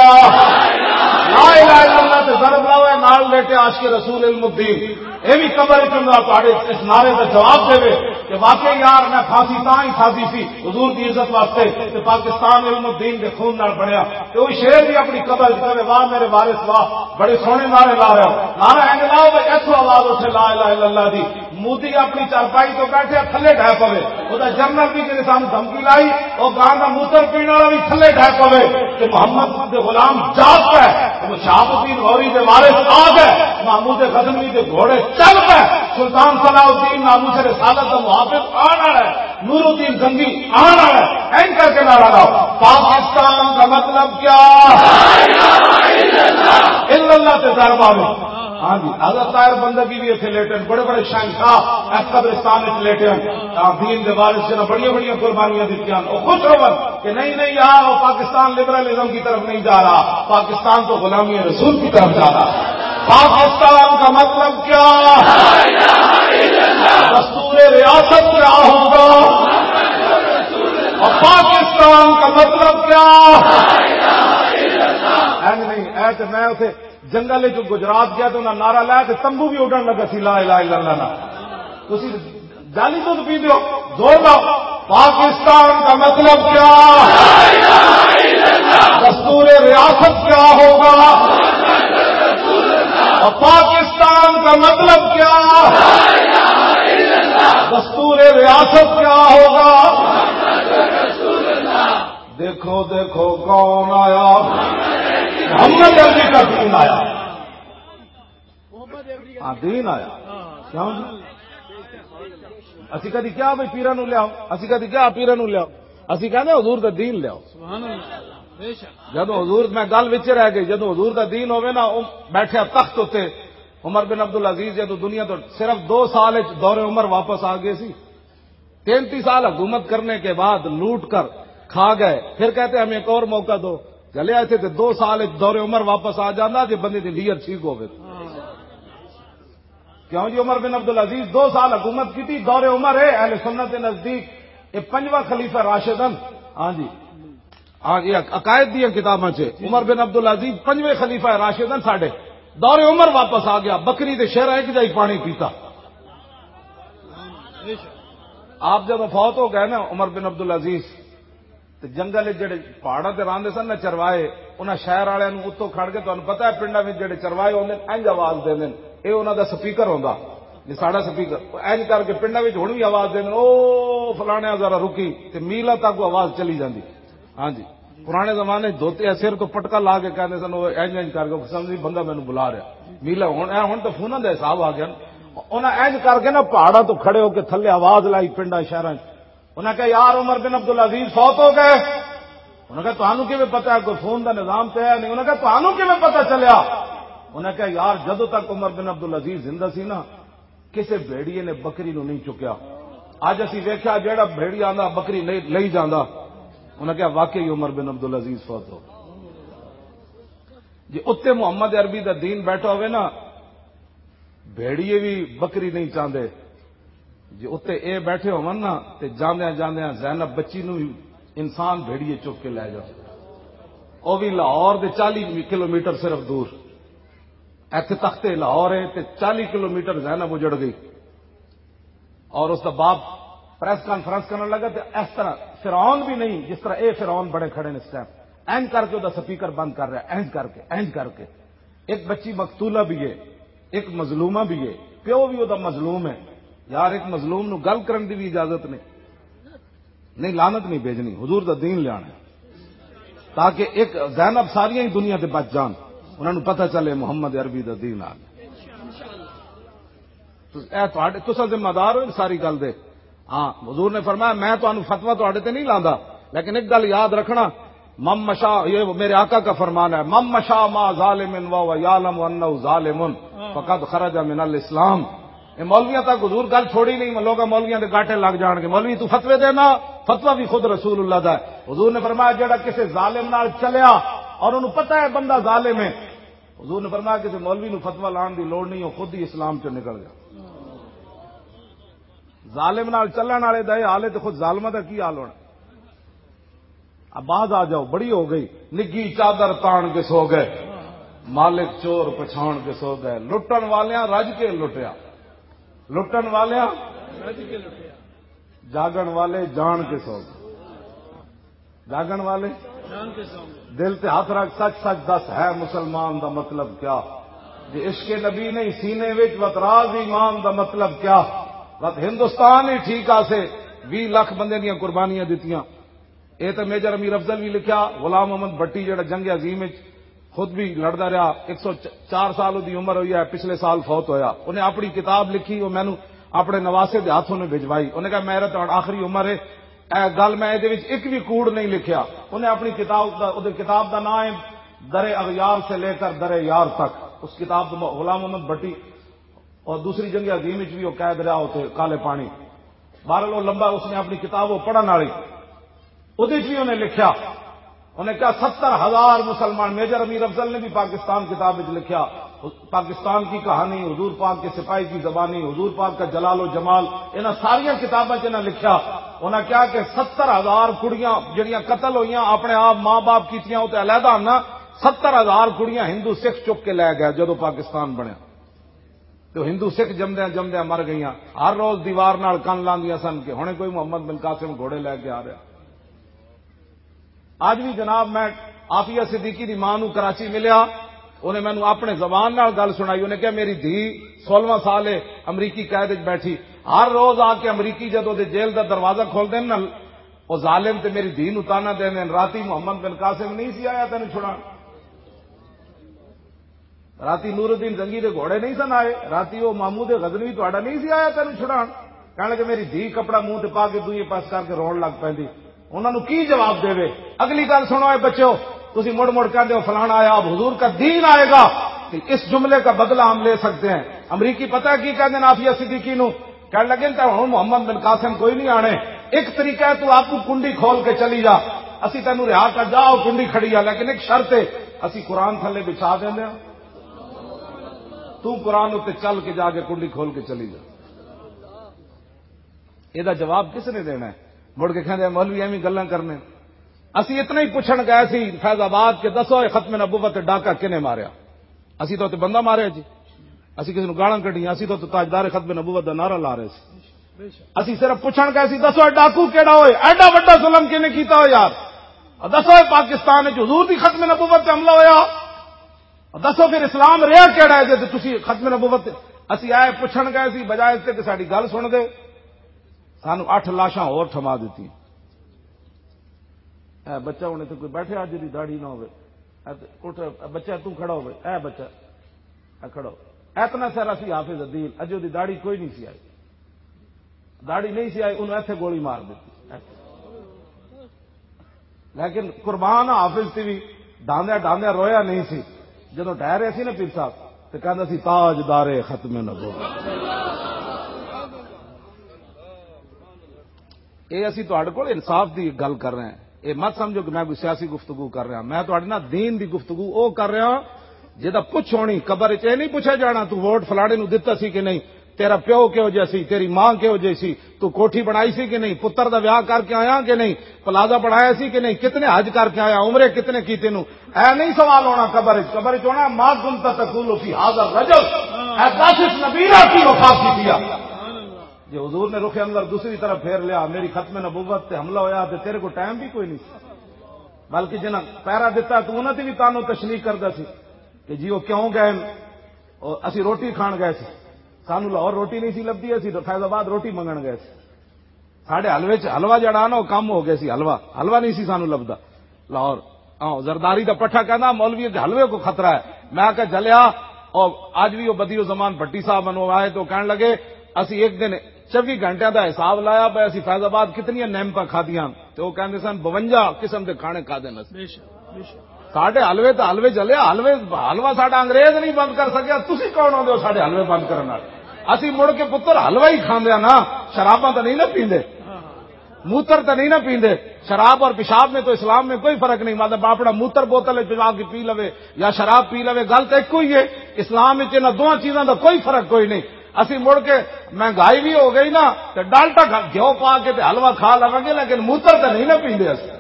لا الہ الا اللہ تے ضرب لاؤ، اے نال لیٹے عاشق رسول علم الدین۔ اے بھی قبر وچ انہاں تہاڈے اس نعرے دا جواب دے کہ واقعی یار، میں پھانسی تاں ہی کھادی سی حضور دی عزت واسطے، تے پاکستان علم الدین دے خون نال بنیا۔ تے او شیر بھی اپنی قبر وچ کہے، "واہ میرے وارث واہ، بڑے سوہنے نعرے لا رہے ہو۔" نعرہ اینج لاؤ بھئی، ایتھوں آواز اٹھے لا الہ الا اللہ دی۔ مودی اپنی چارپائی تو بیٹھے تھلے ڈھہ پوے، او دا جنرل بھی جنہیں سانوں دھمکی لائی، او گاں دا موتر پین والا بھی تھلے ڈھہ پوے۔ تے محمد دے غلام جاگ پے، تے شہاب الدین غوری دے وارث آ گئے، محمود غزنوی دے گھوڑے چل پے، سلطان صلاح الدین ناموس رسالت دا محافظ آن والا ہے، نور الدین زنگی آن والا ہے۔ اینکر کے نعرہ لاؤ، پاکستان کا مطلب کیا؟ الا اللہ تے ضرب آوے۔ ہاں جی، حضرت طاہر بندگی بھی اتنے لیٹے ہیں، بڑے بڑے شہنشاہ اس قبرستان وچ لیٹے ہیں۔ آ، دین دے وارث جنہاں بڑیاں بڑیاں قربانیاں دتیاں، وہ خوش رہو کہ نہیں، نہیں، یار، وہ پاکستان لبرلزم کی طرف نہیں جا رہا، پاکستان تو غلامی رسول کی طرف جا رہا۔ پاکستان کا مطلب کیا؟ دستور ریاست کیا ہوگا؟ اور پاکستان کا مطلب کیا؟ اینج نہیں، اے تے میں اتھے جنگل وچ گجرات گیا تو انہاں نعرہ لایا تے تمبو بھی اڈن لگا سی، لا الہ الا اللہ نا۔ تسی جعلی دودھ پیندے ہو، زور لاؤ۔ پاکستان کا مطلب کیا؟ دستور ریاست کیا ہوگا؟ اور پاکستان کا مطلب کیا؟ دستور ریاست کیا ہوگا؟ دیکھو، دیکھو، کون آیا؟ محمد عربی کا دین آیا۔ ہاں، دین آیا۔ کیوں جی؟ اسی کدی کیا بھائی پیرا نو لیاؤ؟ اسی کدی کیا پیرا نو لیاؤ؟ اسی کہنے حضور دا دین لیاؤ۔ جدوں حضور، میں گل وچ رہ گئی، جدوں حضور دا دین ہوے نا، او بیٹھے تخت اتے، عمر بن عبد العزیز جدوں دنیا تو صرف دو سال وچ دور عمر واپس آ گئے سی۔ تینتی سال حکومت کرنے کے بعد لوٹ کر کھا گئے، پھر کہتے ہمیں ایک اور موقع دو۔ چلے آئے تھے تو دو سال وچ دور عمر واپس آ جانا جی، بندے دی نیت ٹھیک ہوے۔ کیوں جی؟ عمر بن عبد العزیز دو سال حکومت کی تھی، دور عمر ہے اہل سنت کے نزدیک یہ پنجواں خلیفہ راشدن۔ ہاں جی، ہاں، یہ عقائد دیا کتاباں چ عمر بن عبد العزیز پنجویں خلیفہ راشدن ساڈے۔ دور عمر واپس آ گیا، بکری دے شیر ایک جائی پانی پیتا۔ آپ جب فوت ہو گئے نا عمر بن عبد العزیز، تے جنگل وچ جڑے پہاڑاں تے راندے سن نا چروائے، انہاں شہر والے نوں اتوں کھڑ کے، تانوں پتہ ہے پنڈاں وچ جڑے چروائے ہوندے نے، انج آواز دیندے نے، اے انہاں دا سپیکر ہوندا، جی ساڈا سپیکر، او انج کر کے پنڈاں وچ ہن وی آواز دیندے نے، او فلانے ذرا رکی، تے میلاں تک آواز چلی جاندی۔ ہاں جی، پرانے زمانے وچ دھوتے سر تو پٹکا لا کے کہندے سن، او انج انج کر کے سمجھ بندہ مینوں بلا رہا۔ میلا ہن، اے ہن تو فوناں دا حساب آ گیا نا۔ انہاں انج کر کے نا پہاڑاں تو کھڑے ہو کے تھلے آواز لائی پنڈاں شہراں وچ۔ انہاں کہا، "یار، عمر بن عبد العزیز فوت ہو گئے۔" انہاں کہا، "تانوں کیویں پتہ ہے؟ کوئی فون دا نظام تے ہے نہیں۔" انہاں کہا، "تانوں کیویں پتہ چلیا؟" انہاں کہا، "یار، جدوں تک عمر بن عبد العزیز زندہ سی نا، کسے بھیڑیے نے بکری نوں نہیں چکیا۔ اج اسی ویکھیا، جیڑا بھیڑی آندا، بکری نہیں لئی جاندا۔" انہاں کہا، "واقعی عمر بن عبد العزیز فوت ہو گئے۔" جی اتنے محمد عربی دا دین بیٹھا ہوئے نا، بھیڑیے بھی بکری نہیں چاہتے۔ جے اتے اے بیٹھے ہون نا، تے جاندیاں جاندیاں زینب بچی نو وی انسان بھیڑیے چک کے لے جا۔ او وی لاہور دے چالی کلومیٹر صرف دور۔ ایتھے تختے لاہور ہے تے چالی کلومیٹر زینب اجڑ گئی۔ اور اس دا باپ پریس کانفرنس کرنے لگا تے اس طرح فرعون بھی نہیں جس طرح اے فرعون بڑے کھڑے نے اس ٹائم۔ اینج کر کے او دا سپیکر بند کر رہا ہے، اینج کر کے، اینج کر کے۔ ایک بچی مقتولہ بھی ہے، ایک مظلومہ بھی ہے، پیو بھی او دا مظلوم ہے۔ یار، ایک مظلوم نو گل کرن دی بھی اجازت نہیں۔ نہیں، لعنت نہیں بھیجنی، حضور دا دین لیانا ہے۔ تاکہ ایک زینب ساریاں ہی دنیا تے بچ جان، انہاں نو پتہ چلے محمد عربی دا دین آ گیا۔ تس-، اے تہاڈے، تساں ذمہ دار ہو ان ساری گل دے۔ ہاں، حضور نے فرمایا، "میں تانوں فتویٰ تہاڈے تے نہیں لاندا، لیکن ایک گل یاد رکھنا، من مشا"، یہ میرے آقا کا فرمان ہے، "من مشا مع ظالم وهو يعلم انه ظالم فقد خرج من الاسلام۔" اے مولویاں تک حضور گل چھوڑی نہیں، لوگاں مولویاں دے گاٹے لگ جان گے، "مولوی تو فتوے دینا؟" فتویٰ بھی خود رسول اللہ دا ہے۔ حضور نے فرمایا، "جڑا کسے ظالم نال چلیا اور انہوں پتہ ہے بندہ ظالم ہے"، حضور نے فرمایا، "کسے مولوی نو فتویٰ لان دی لوڑ نہیں، وہ خود ہی اسلام چوں نکل گیا۔" ظالم نال چلن والے دا یہ حال ہے، تے خود ظالماں دا کی حال ہونا؟ اب باز آ جاؤ، بڑی ہو گئی۔ نگی چادر تان کے سو گئے، مالک چور پچھان کے سو گئے۔ لٹن والیاں رج کے لٹیا، لٹن والیاں جاگن والے جان کے سو گئے۔ جاگن والے دل تے ہاتھ رکھ، سچ سچ دس، ہے مسلمان دا مطلب کیا؟ جے عشق نبی نہیں سینے وچ، وت راز ایمان دا مطلب کیا؟ وت ہندوستان ہی ٹھیک آسے، ویہہ لکھ بندے دیاں قربانیاں دتیاں۔ اے تے میجر امیر افضل بھی لکھیا، غلام محمد بٹی جڑا جنگ عظیم وچ خود بھی لڑدا رہیا، ایک سو چار سال اودی عمر ہوئی ہے، پچھلے سال فوت ہویا۔ انہیں اپنی کتاب لکھی، وہ مینوں اپنے نواسے دے ہاتھوں نے بھجوائی۔ انہیں کہا، "میرا تو آخری عمر ہے، اے گل میں اے دے وچ ایک بھی کوڑ نہیں لکھیا۔" انہیں اپنی کتاب دا، اودے کتاب دا نام ہے در اغیار سے لے کر در یار تک۔ اس کتاب تو غلام محمد بھٹی اور دوسری جنگ عظیم وچ بھی وہ قید رہا ہوتے کالے پانی۔ بہرحال وہ لمبا، اس نے اپنی کتاب وہ پڑھن والی، اودے وچ بھی انہیں لکھیا، انہیں کہا، "ستر ہزار مسلمان۔" میجر امیر افضل نے بھی پاکستان کتاب وچ لکھیا، پاکستان کی کہانی، حضور پاک کے سپاہی کی زبانی، حضور پاک کا جلال و جمال، انہاں ساریاں کتاباں چ انہاں لکھیا۔ انہاں کہا کہ ستر ہزار کڑیاں جڑیاں قتل ہوئیاں، اپنے آپ ماں باپ کیتیاں، او تے علیحدہ ہن، ستر ہزار کڑیاں ہندو سکھ چک کے لے گئے جدوں پاکستان بنیا۔ تے ہندو سکھ جمدیاں جمدیاں مر گئیاں۔ ہر روز دیوار نال کن لاندیاں سن کہ ہنے کوئی محمد بن قاسم گھوڑے لے کے آ رہا۔ اج بھی جناب، میں عافیہ صدیقی دی ماں نوں کراچی ملیا، انہیں مینوں اپنے زبان نال گل سنائی۔ انہیں کہا، "میری دھی سولہواں سال ہے، امریکی قید وچ بیٹھی، ہر روز آ کے امریکی جدوں دے جیل دا دروازہ کھول دین نا، او ظالم تے میری دھی نوں تانا دین دین، "راتی محمد بن قاسم نہیں سی آیا تینوں چھڑان؟ راتی نور الدین زنگی دے گھوڑے نہیں سن آئے؟ راتی او محمود غزنوی تہاڈا نہیں سی آیا تینوں چھڑان؟" کہن لگے، "میری دھی کپڑا منہ تے پا کے دوئے پاس کر کے رون لگ پیندی۔" انہاں نوں کی جواب دیوے؟ اگلی گل سنو، اے بچو، تسی مڑ مڑ کہندے ہو، "فلانا آیا، اب حضور کا دین آئے گا، تو اس جملے کا بدلہ ہم لے سکتے ہیں۔" امریکی پتہ ہے کی کہندے نے عافیہ صدیقی نو؟ کہن لگے، "تے ہن محمد بن قاسم کوئی نہیں آنے، ایک طریقہ ہے، تو آپ کو کنڈی کھول کے چلی جا، اسی تینوں رہا کر جا، او کنڈی کھڑی آ، لیکن ایک شرط ہے، اسی قرآن تھلے بچھا دیندے ہاں، تو قرآن اُتے چل کے جا کے کنڈی کھول کے چلی جا۔" یہ جواب کس نے دینا ہے؟ مڑ کے کہندے، "مولوی ایویں گلاں کرنے۔" اسی اتنا ہی پوچھن گئے سی فیض آباد کہ دسو، یہ ختم نبوت تے ڈاکہ کنے ماریا؟ اسی تو تے بندہ ماریا جی، اسی کسی نوں گالاں کڈیاں، اسی تو تے تاجدار ختم نبوت دا نعرہ لا رہے سی۔ اسی صرف پوچھن گئے سی، "دسو، یہ ڈاکو کیڑا ہوئے؟ ایڈا وڈا ظلم کنے کیتا ہوئے یار؟ اور دسو، یہ پاکستان وچ حضور دی ختم نبوت تے حملہ ہویا؟ اور دسو، پھر اسلام رہیا کیڑا ہے جے تسی ختم نبوت تے؟" اسی آئے پوچھن گئے سی، بجائے اس تے کہ ساڈی گل سن دے، سانو اٹھ لاشاں ہور تھما دتی۔ اے بچہ ہن اتھے کوئی بیٹھے، اج دی داڑھی نہ ہوے۔ اے تے اٹھ، اے بچہ تو کھڑا ہوے، اے بچہ، اے کھڑا ہو۔ اتنا سارا سی حافظ عدیل، اجے دی داڑھی کوئی نہیں سی آئی۔ داڑھی نہیں سی آئی، انہوں ایتھے گولی مار دتی۔ لیکن قربان حافظ تے بھی ڈاندیا ڈاندیا رویا نہیں سی۔ جدوں ڈہ رہے سی نا پیر صاحب، تے کہندا سی، "تاجدار ختم نبوت۔" اے اسی تہاڈے کول انصاف دی گل کر رہے ہیں۔ اے مت سمجھو کہ میں کوئی سیاسی گفتگو کر رہا، میں تہاڈے نال دین دی گفتگو او کر رہا۔ جدا پوچھ ہونی قبر وچ، اے نہیں پوچھا جانا تو ووٹ فلانے نو دتا سی کہ نہیں، تیرا پیو کہو جے سی، تیری ماں کہو جے سی، تو کوٹھی بنائی سی کہ نہیں، پتر دا ویاہ کر کے آیا کہ نہیں، پلازہ بنایا سی کہ نہیں، کتنے حج کر کے آیا، عمرے کتنے کیتے نو۔ اے نہیں سوال ہونا قبر وچ، قبر وچ ہونا، "ما كنت تقول في هذا الرجل"، اے دس اس نبی نال کی وفا کیتی آ؟ جے حضور نے رخ انور دوسری طرف پھیر لیا، میری ختم نبوت تے حملہ ہویا تے تیرے کو ٹائم بھی کوئی نہیں سی۔ بلکہ جنہاں پیرا دتا تو انہاں تے بھی تانوں تشنیع کردا سی کہ جی وہ کیوں گئے؟ اور اسی روٹی کھان گئے سی، سانو لاہور روٹی نہیں سی لبھی، اسی فیض آباد روٹی منگن گئے سی۔ ساڈے حلوے چ حلوہ جڑا نا، وہ کم ہو گیا سی، حلوہ، حلوہ نہیں سی سانو لبدا۔ لاہور، ہاں، زرداری دا پٹھا کہندا، "مولوی دے حلوے کو خطرہ ہے۔" میں کہا، "جلیا۔" اور اج بھی وہ بدیع الزمان بھٹی صاحب منو آئے تو کہن لگے، "اسی ایک دن چوبی گھنٹے دا حساب لایا پے، اسی فیض آباد کتنی نعمتاں کھادیاں۔" تو وہ کہندے سن، "بونجا قسم دے کھانے کھادے نس۔" ساڈے حلوے تے حلوے چلے، حلوے، حلوہ ساڈا انگریز نہیں بند کر سکیا، تسی کون ہوندے ہو ساڈے حلوے بند کرن والے؟ اسی مڑ کے پتر حلوہ ہی کھاندے نا، شراباں تے نہیں نا پیندے، موتر تے نہیں نا پیندے۔ شراب اور پیشاب میں تو اسلام میں کوئی فرق نہیں، مطلب اپنا موتر بوتل وچ پا کے پی لوے یا شراب پی لوے، گل تے ایک ہی ہے۔ اسلام وچ انہاں دوواں چیزاں دا کوئی فرق کوئی نہیں۔ اسی مڑ کے مہنگائی بھی ہو گئی نا، تے ڈالٹا کھا، گھیو پا کے تے حلوہ کھا لواں گے، لیکن موتر تے نہیں نا پیندے اسی۔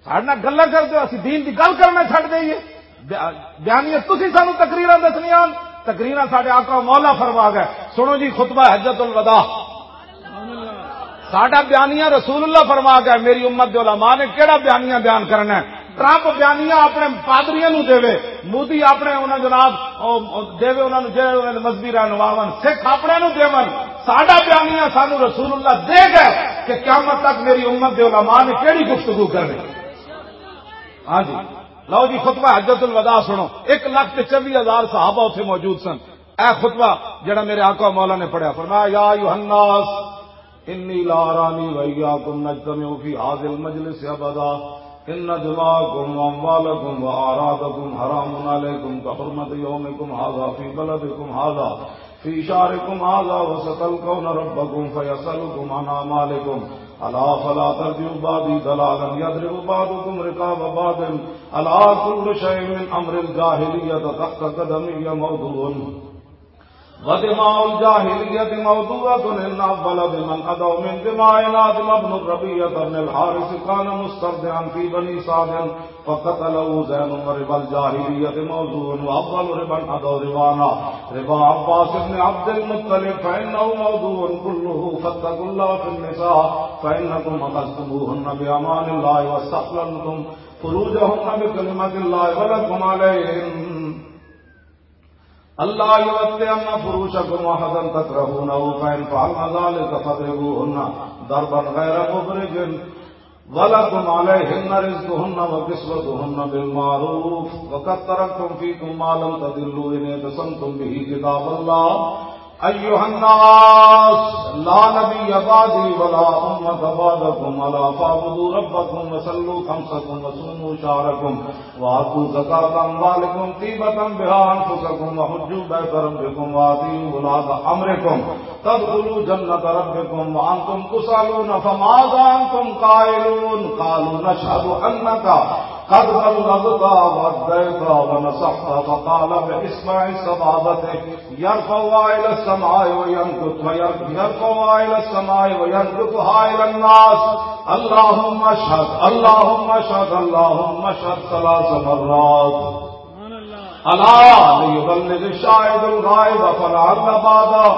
ساڈے نال گلاں کردے ہو، اسی دین دی گل کرنا چھڈ دئیے؟ بیا-، بیانیے تسی سانو تقریراں دسنیاں ہن، تقریراں ساڈے آقا مولا فرما گئے۔ سنو جی خطبہ حجۃ الوداع، ساڈا بیانیہ رسول اللہ فرما گئے۔ میری امت دے علماء نے کیڑا بیانیہ بیان کرنا ہے؟ ٹرمپ بیانیہ اپنے پادریاں نو دے، مودی اپنے انہاں جناب او، او دے، انہاں نو جڑے انہاں دے مذہبی رہنما ہن، سکھ اپنے نو دے۔ ساڈا بیانیہ سانو رسول اللہ دے گئے کہ قیامت تک میری امت دے علماء نے کیڑی گفتگو کرنی۔ ہاں جی، لو جی، خطبہ حجۃ الوداع سنو۔ ایک لاکھ تے چوبی ہزار صحابہ اتھے موجود سن۔ اے خطبہ جڑا میرے آقا مولا نے پڑھیا، فرمایا، "یا ایھا الناس، انی لا ارانی و ایاکم نجتمع فی ھذا المجلس ابدا، ان دماءکم و اموالکم و اعراضکم حرام علیکم کحرمۃ یومکم ھذا فی بلدکم ھذا فی شہرکم ھذا، وستلقون ربکم فیسألکم عن اعمالکم، الا فلا ترجعوا بعدی ضلالا یضرب بعضکم رقاب بعض، الا کل شیء من امر الجاہلیۃ تحت قدمی موضوع، ودماء الجاہلیۃ موضوعۃ، ان اول من عدا من دماء آدم ابن الربیعۃ بن الحارث کان مسترضعا فی بنی سعد، فقتله زین وربا الجاہلیۃ موضوع، واول ربا عدا ربانا ربا عباس بن عبد المطلب فانه موضوع کله، فاتقوا اللہ فی النساء فانکم اخذتموهن بامان اللہ واستحللتم فروجهن بکلمۃ اللہ ولکم علیہن۔ ألا يوطئن فروشكم أحدا تكرهونه، فإن فعلن ذلك فاضربوهن ضربا غير مبرح، ولكم عليهن رزقهن وكسوتهن بالمعروف، وقد تركتم فيكم ما لم تضلوا إن اعتصمتم به كتاب الله. أيها الناس، لا نبي بعدي ولا أمة بعدكم، ألا فاعبدوا ربكم وصلوا خمسكم وصوموا شهركم وآتوا زكاة أموالكم طيبة بها أنفسكم وحجوا بيت ربكم وأطيعوا ولاة أمركم تدخلوا جنة ربكم وأنتم تسألون فماذا أنتم قائلون؟ قالوا نشهد أنك قد بلغت وأديت ونصحت. فقال بإصبع سبابته يرفعها إلى السماء وينكت، وير-، يرفعها إلى السماء وينكتها إلى الناس: اللهم اشهد، اللهم اشهد، اللهم اشهد، ثلاث مرات. ألا ليبلغ الشاهد الغائب، فلعل بعد،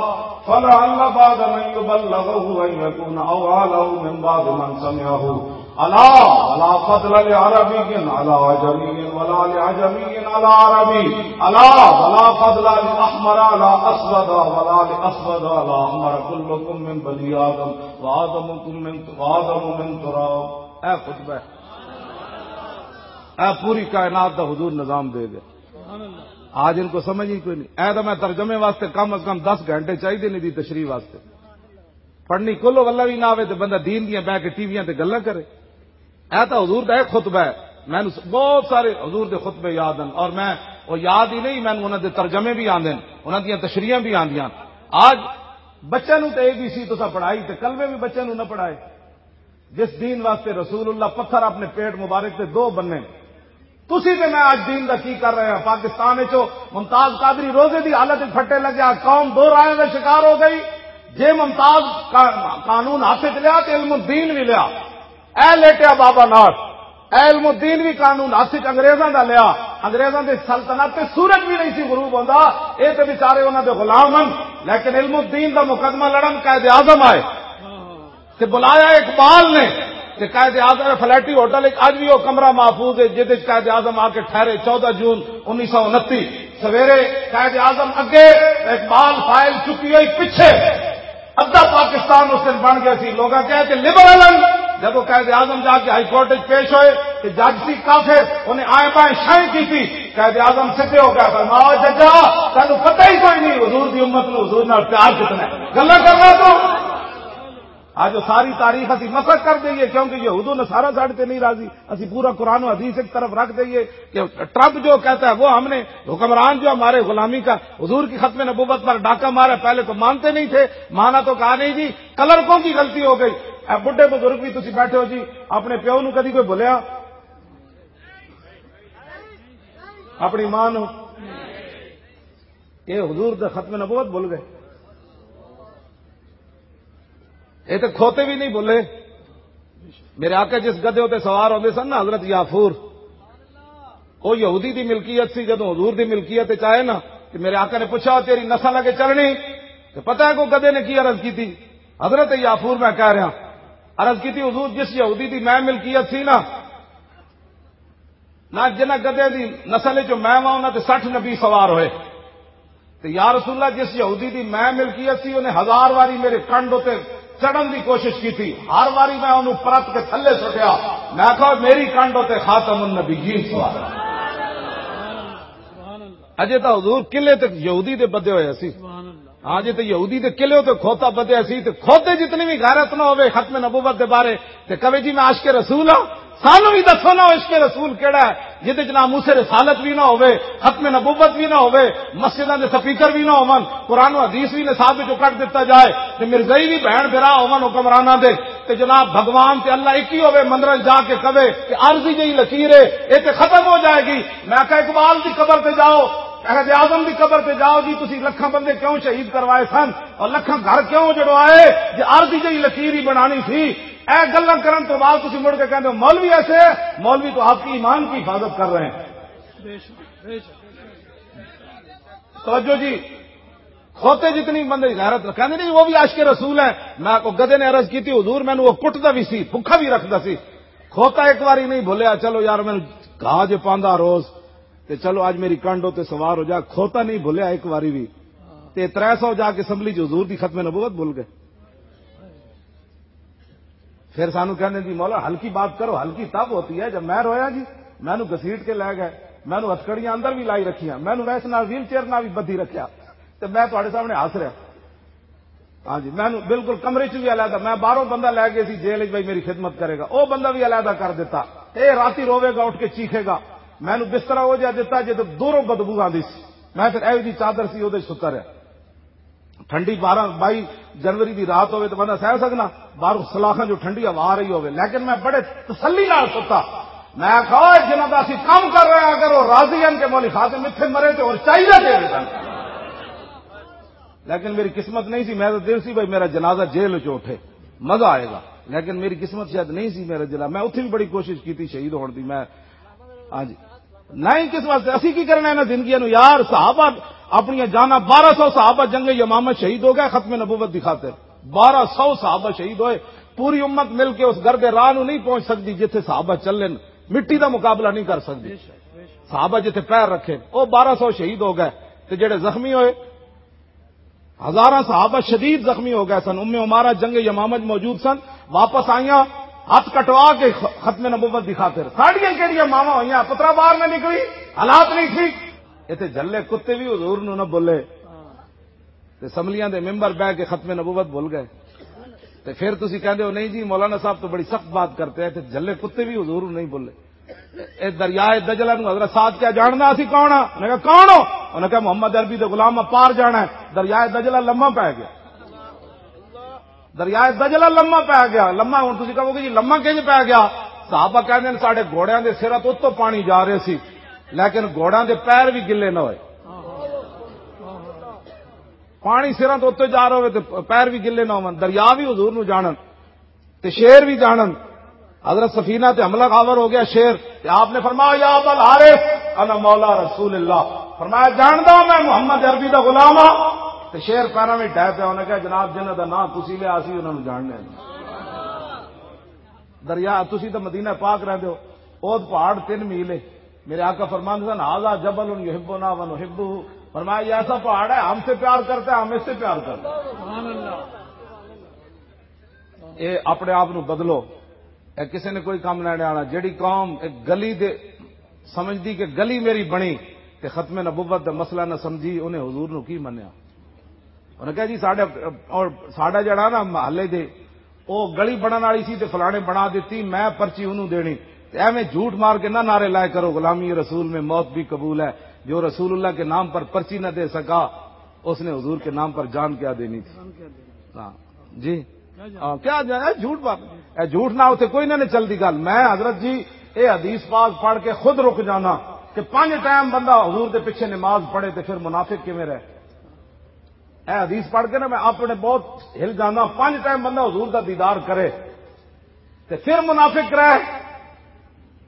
فلعل بعد من يبلغه أن يكون أوعى له من بعد من سمعه. ألا، لا فضل لعربي على عجمي، ولا لعجمي على عربي. ألا، ولا فضل لأحمر على أسود، ولا لأسود على أحمر. كلكم من بني آدم، وآدمكم من، وآدم من تراب. اے خطبہ ہے۔ اے پوری کائنات دا حضور نظام دے گئے۔ آج ان کو سمجھ ہی کوئی نہیں۔ اے تو میں ترجمے واسطے کم از کم دس گھنٹے چاہیے نہیں دی تشریح واسطے۔ پڑھنی کولو واللہ بھی نہ آوے تے بندہ دین دیاں بہ کے ٹی ویاں تے گلاں کرے۔ اے تاں حضور دا ایک خطبہ ہے۔ مینوں س-، بہت سارے حضور دے خطبے یاد ہیں اور میں وہ یاد ہی نہیں، مینوں انہاں دے ترجمے بھی آندے ہیں، انہاں دیاں تشریحاں بھی آندیاں۔ آج بچے نوں تے اے بی سی تساں پڑھائی تے کلمے بھی بچے نوں نہ پڑھائے۔ جس دین واسطے رسول اللہ پتھر اپنے پیٹ مبارک تے دو بننے، تسی تے میں اج دین دا کی کر رہے ہیں؟ پاکستان وچ ممتاز قادری روزے دی حالت وچ پھٹے لگیا، قوم دو رائے دا شکار ہو گئی۔ جے ممتاز کا-، قانون ہاتھ وچ لیا تے علم الدین بھی لیا۔ اے لیٹیا بابا ناز، اے علم الدین بھی قانون ہاتھ وچ انگریزاں دا لیا۔ انگریزاں دی سلطنت تے سورج بھی نہیں سی غروب ہوندا، اے تے بیچارے انہاں دے غلام ہن، لیکن علم الدین دا مقدمہ لڑن قائد اعظم آئے۔ تے بلایا اقبال نے۔ تے قائد اعظم فلیٹی ہوٹل وچ اج بھی وہ کمرہ محفوظ ہے، جس وچ قائد اعظم آ کے ٹھہرے۔ چودہ جون انیس سو انتی سویرے قائد اعظم اگے، اقبال فائل چکی ہوئی پیچھے۔ ادھا پاکستان اس دن بن گیا سی۔ لوگاں کہے کہ لبرل ہیں۔ جب وہ قائد اعظم جا کے ہائی کورٹ وچ پیش ہوئے تے جج سی کافر، انہیں آئیں بائیں شائیں کی تھی۔ قائد اعظم سدھے ہو گیا، فرمایا، "ججا، تینوں پتہ ہی کوئی نہیں حضور دی امت نو حضور نال پیار کتنا ہے۔ گلاں کرنا تو۔" آج وہ ساری تاریخ اسی مسخ کر دئیے، کیونکہ یہود و نصارہ ساڈے تے نہیں راضی۔ اسی پورا قرآن و حدیث ایک طرف رکھ دئیے کہ ٹرمپ جو کہتا ہے وہ ہم نے، حکمران جو ہمارے غلامی کا، حضور کی ختم نبوت پر ڈاکہ مارا، پہلے تو مانتے نہیں تھے، مانا تو کہا نہیں جی، کلرکوں کی غلطی ہو گئی۔ اے بڈھے بزرگ بھی تسی بیٹھے ہو جی، اپنے پیو نو کدی کوئی بھولیا؟ اپنی ماں نو؟ یہ حضور دا ختم نبوت بھول گئے؟ یہ تو کھوتے بھی نہیں بھولے۔ میرے آقا جس گدھے تے سوار ہوندے سن نا، حضرت یافور، وہ یہودی دی ملکیت سی۔ جدوں حضور دی ملکیت وچ آئے نا، تے میرے آقا نے پوچھا، "تیری نسل اگے چلنی؟" تے پتہ ہے کو گدھے نے کی عرض کی تھی؟ حضرت یافور میں کہہ رہا، عرض کی تھی، "حضور، جس یہودی دی میں ملکیت سی نا، نہ جنہاں گدھے دی نسل چوں میں واں، انہاں تے سٹھ نبی سوار ہوئے۔ تے یا رسول اللہ، جس یہودی دی میں ملکیت سی، انہیں ہزار واری میرے کنڈ اتے چڑھن دی کوشش کی تھی، ہر واری میں انہوں پرت کے تھلے سٹیا۔ میں کہا، میری کنڈ اتے خاتم النبیین سوار ہے۔" اجے تاں حضور قلعے تے یہودی دے بدے ہوئے سی۔ ہاں جی، تے یہودی دے قلعے تے کھوتا بدیا سی، تے کھوتے جتنی بھی غیرت نہ ہوئے ختم نبوت دے بارے، تے کہے جی میں عاشق رسول ہاں، سانو بھی دسو نا عشق رسول کیڑا ہے، جدے چ ناموس رسالت بھی نہ ہوئے، ختم نبوت بھی نہ ہوئے، مسجداں دے سپیکر بھی نہ ہون، قرآن و حدیث بھی نصاب وچوں کٹ دتا جائے، تے مرزائی بھی بہن بھرا ہون حکمراناں دے، تے جناب بھگوان تے اللہ ایک ہی ہوئے، مندراں جا کے کہے کہ عارضی جہی لکیر ہے، اے تے ختم ہو جائے گی۔ میں کہا، اقبال دی قبر تے جاؤ، قائد اعظم دی قبر تے جاؤ جی، تسی لکھاں بندے کیوں شہید کروائے سن اور لکھاں گھر کیوں جڑوائے؟ جے عارضی جہی لکیر ہی بنانی سی، اے گلاں کرن تو بعد تسی مڑ کے کہندے ہو، "مولوی ایسے ہے۔" مولوی تو آپ کی ایمان کی حفاظت کر رہے ہیں۔ توجہ جی، کھوتے جتنی بندے غیرت رکھتے نہیں، وہ بھی عاشق رسول ہیں۔ میں کو گدے نے عرض کی تھی، "حضور، مینوں وہ کٹدا بھی سی، بھکھا بھی رکھدا سی۔" کھوتا ایک واری نہیں بھولیا، "چلو یار، مینوں گھا جو پاندا روز۔" تے چلو، اج میری کنڈ تے سوار ہو جا، کھوتا نہیں بھولیا ایک واری بھی۔ تے ترے سو جا کے اسمبلی چ حضور دی ختم نبوت بھول گئے۔ پھر سانو کہندے، "جی مولا، ہلکی بات کرو، ہلکی تب ہوتی ہے جب میں رویا جی، مینوں گھسیٹ کے لے گئے، مینوں ہتھکڑیاں اندر بھی لائی رکھیاں، مینوں ویس نال ویل چیئر نال بھی بدھی رکھیا، تے میں تہاڈے سامنے ہس رہا۔" ہاں جی، مینوں بالکل کمرے چ بھی علیحدہ، میں باہروں بندہ لے گیا سی جیل وچ، بھائی میری خدمت کرے گا، او بندہ بھی علیحدہ کر دیتا۔ اے راتی روے گا، اٹھ کے چیخے گا، مینوں بسترا او جہا دتا جے تے دوروں بدبو آندی سی۔ میں پھر ایویں دی چادر سی، اودے وچ ستا رہیا۔ ٹھنڈی بارہ بائی جنوری دی رات ہوے تے بندہ سہ سکنا، باہروں سلاخاں جو ٹھنڈی ہوا آ رہی ہوے، لیکن میں بڑے تسلی نال ستا۔ میں کہا، "جنہاں دا اسی کام کر رہے ہیں، اگر وہ راضی ہیں کہ مولوی خادم اتھے مرے تے اور چاہیے دے دے۔" لیکن میری قسمت نہیں سی، میں تو دل سی بھائی میرا جنازہ جیل وچ اٹھے، مزہ آئے گا۔ لیکن میری قسمت شاید نہیں سی میرا جنازہ، میں اتھے بھی بڑی کوشش کی تھی شہید ہون دی۔ میں، ہاں جی، نہیں، کس واسطے؟ اسی کی کرنا ہے نا زندگیاں نو یار؟ صحابہ اپنی جاناں، بارہ سو صحابہ جنگ یمامہ شہید ہو گئے ختم نبوت دی خاطر۔ بارہ سو صحابہ شہید ہوئے، پوری امت مل کے اس گردے راہ نو نہیں پہنچ سکتی جتھے صحابہ چلن، مٹی دا مقابلہ نہیں کر سکتی۔ صحابہ جتھے پیر رکھے، وہ بارہ سو شہید ہو گئے، تے جڑے زخمی ہوئے، ہزاراں صحابہ شدید زخمی ہو گئے سن۔ ام عمارہ جنگ یمامہ وچ موجود سن، واپس آئیاں ہاتھ کٹوا کے خ-، ختم نبوت دی خاطر۔ ساڈیاں کیڑیاں ماواں ہوئیاں، پترا باہر نہ نکلی، حالات نہیں ٹھیک۔ اتھے جھلے کتے بھی حضور نو نہ بولے، تے اسمبلیاں دے ممبر بہ کے ختم نبوت بھول گئے۔ تے پھر تسی کہندے ہو، "نہیں جی، مولانا صاحب تو بڑی سخت بات کرتے ہیں، تے جھلے کتے بھی حضور نو نہیں بولے۔" اے دریائے دجلہ نو حضرت سعد کیا جاننا اسی کون ہاں؟ انہاں کہا، "کون ہو؟" انہاں کہا، "محمد عربی دے غلام، میں پار جانا ہے۔" دریائے دجلہ لمحہ پہ گیا۔ دریائے دجلہ لمحہ پہ گیا۔ لمحہ، ہن تسی کہو گے، "جی، لمحہ کیوں پہ گیا؟" صحابہ کہندے نے، "ساڈے گھوڑیاں دے سراں تو اتوں پانی جا رہے سی، لیکن گھوڑیاں دے پیر بھی گلے نہ ہوئے۔" پانی سراں تو اتوں جا رہا ہوئے تے پیر بھی گلے نہ ہون، دریا بھی حضور نو جانن۔ تے شیر بھی جانن۔ حضرت سفینہ تے حملہ آور ہو گیا شیر، تے آپ نے فرمایا، "یا ابا الحارث، انا مولا رسول اللہ۔" فرمایا، "جاندا میں محمد عربی دا غلام ہاں۔" تے شیر پیراں وچ ڈھے پیا، انہاں کہا، "جناب، جنہاں دا نام تسی لیا، اسی انہاں نوں جاننے ہاں۔" دریا، تسی تے مدینہ پاک رہندے ہو، اوہد پہاڑ تین میل ہے۔ میرے آقا فرماندے سن، "ھذا جبل یحبنا و نحبہ۔" فرمایا، "یہ ایسا پہاڑ ہے، ہم سے پیار کرتا ہے، ہم اس سے پیار کرتے ہیں۔" اے اپنے آپ نو بدلو۔ اے کسے نے کوئی کم نہ آنا۔ جیڑی قوم ایک گلی دے سمجھدی کہ گلی میری بنی تے ختم نبوت دا مسئلہ نہ سمجھی، انہیں حضور نو کی منیا؟ انہیں کہا، "جی ساڈا، اور ساڈا جڑا نا محلے دے، او گلی بنن والی سی تے فلانے بنا دتی، میں پرچی انہوں دینی۔" تے ایویں جھوٹ مار کے نہ نعرے لائے کرو، "غلامی رسول میں موت بھی قبول ہے۔" جو رسول اللہ کے نام پر پرچی نہ دے سکا، اس نے حضور کے نام پر جان کیا دینی تھی؟ ہاں۔ جی۔ ہاں، کیا جائے؟ اے جھوٹ بات۔ اے جھوٹ نہ ہوتے کوئی نہ، نہیں چلتی گل۔ میں حضرت جی، اے حدیث پاک پڑھ کے خود رک جانا کہ پانچ ٹائم بندہ حضور دے پیچھے نماز پڑھے تے پھر منافق کیویں رہے؟ اے حدیث پڑھ کے نا میں اپنے بہت ہل جانا۔ پانچ ٹائم بندہ حضور دا دیدار کرے تے پھر منافق رہے۔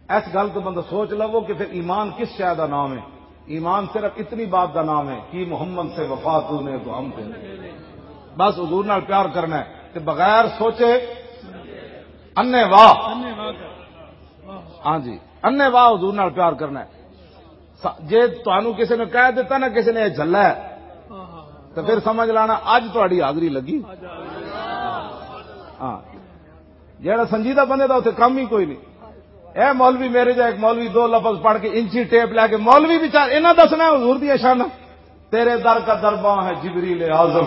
اس گل تو بندہ سوچ لو کہ پھر ایمان کس شے دا نام ہے؟ ایمان صرف اتنی بات دا نام ہے کہ محمد سے وفا تو نے تو ہم کو۔ بس حضور نال پیار کرنا ہے تے بغیر سوچے انے واہ۔ ہاں جی، انے واہ حضور نال پیار کرنا ہے۔ س-، جے تانوں کسے نے کہہ دیتا نا، کسے نے یہ جھلا ہے، تو پھر سمجھ لانا اج تہاڈی حاضری لگی۔ ہاں، جیڑا سنجیدہ بندے دا اتھے کم ہی کوئی نہیں۔ اے مولوی میرے جا ایک مولوی دو لفظ پڑھ کے انچی ٹیپ لے کے، مولوی بیچار انہاں دسنا ہے حضور دیا شاناں۔ تیرے در کا درباں ہے جبریل اعظم،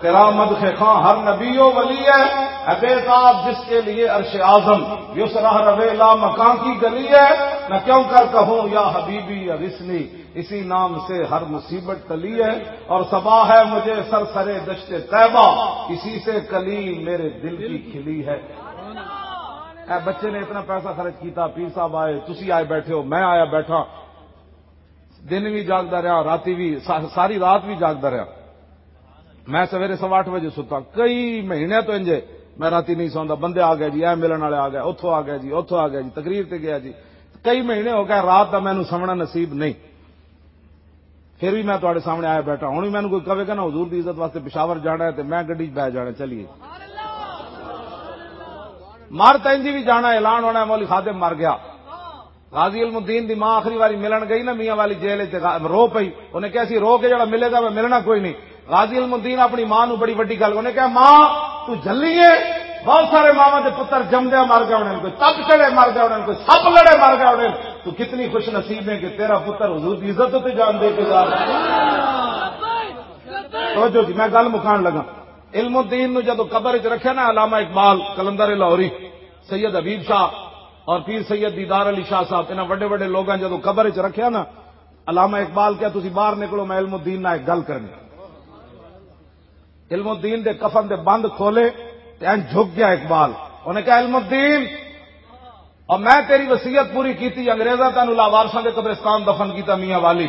تیرا مدح خاں ہر نبی و ولی ہے، ہے بے تاب جس کے لیے عرش اعظم۔ یس رہ روے لا مکان کی گلی ہے، میں کیوں کر کہوں یا حبیبی یا رسنی، اسی نام سے ہر مصیبت ٹلی ہے۔ اور صبا ہے مجھے سر سرے دشت طیبہ، اسی سے کلی میرے دل کی کھلی ہے۔ اے بچے نے اتنا پیسہ خرچ کیتا، پیر صاحب آئے، تسی آئے بیٹھے ہو، میں آیا بیٹھا، دن بھی جاگدا رہیا، راتی بھی، سا-، ساری رات بھی جاگدا رہیا۔ میں سویرے سوا اٹھ بجے ستا، کئی مہینے تو انجے میں راتی نہیں سوندا، بندے آ گئے جی، اے ملن والے آ گئے، اتھوں آ گئے جی، اتھوں آ گئے جی، تقریر تے گیا جی۔ کئی مہینے ہو گئے رات دا مینوں سمنا نصیب نہیں، پھر بھی میں تہاڈے سامنے آیا بیٹھا۔ ہن بھی مینوں کوئی کہے گا نا حضور دی عزت واسطے پشاور جانا ہے تے میں گڈی 'چ بہ جانا، چلیے۔ مر تاں انجی بھی جانا، اعلان ہونا ہے، مولوی خادم مر گیا۔ غازی علم الدین دی ماں آخری واری ملن گئی نا میاں والی جیل وچ، تے غا-، رو پئی۔ انہیں کہیا سی، "رو کے جڑا ملے گا، میں ملنا کوئی نہیں۔" غازی علم الدین اپنی ماں نو بڑی وڈی گل، انہیں کہیا، "ماں، تو جھلی ہے، بہت سارے ماواں دے پتر جمدیاں مر گئے ہونے، کوئی تپ چڑھے مر گئے ہونے، کوئی سپ لڑے مر گئے ہونے، تو کتنی خوش نصیب ہے کہ تیرا پتر حضور دی عزت تے جان دے کے جا رہا ہے۔" توجہ جی، میں گل مکان لگا۔ علم الدین نو جدو قبر وچ رکھیا نا، علامہ اقبال، قلندر لاہوری، سید حبیب شاہ اور پیر سید دیدار علی شاہ صاحب، انہاں وڈے وڈے لوگاں جدو قبر وچ رکھیا نا، علامہ اقبال کہیا، "تسی باہر نکلو، میں علم الدین نال ایک گل کرنی۔" علم الدین دے کفن دے بند کھولے تے این جھک گیا اقبال۔ انہیں کہا، "علم الدین، اور میں تیری وصیت پوری کیتی، انگریزاں تینوں لاوارثاں دے قبرستان دفن کیتا میاں والی،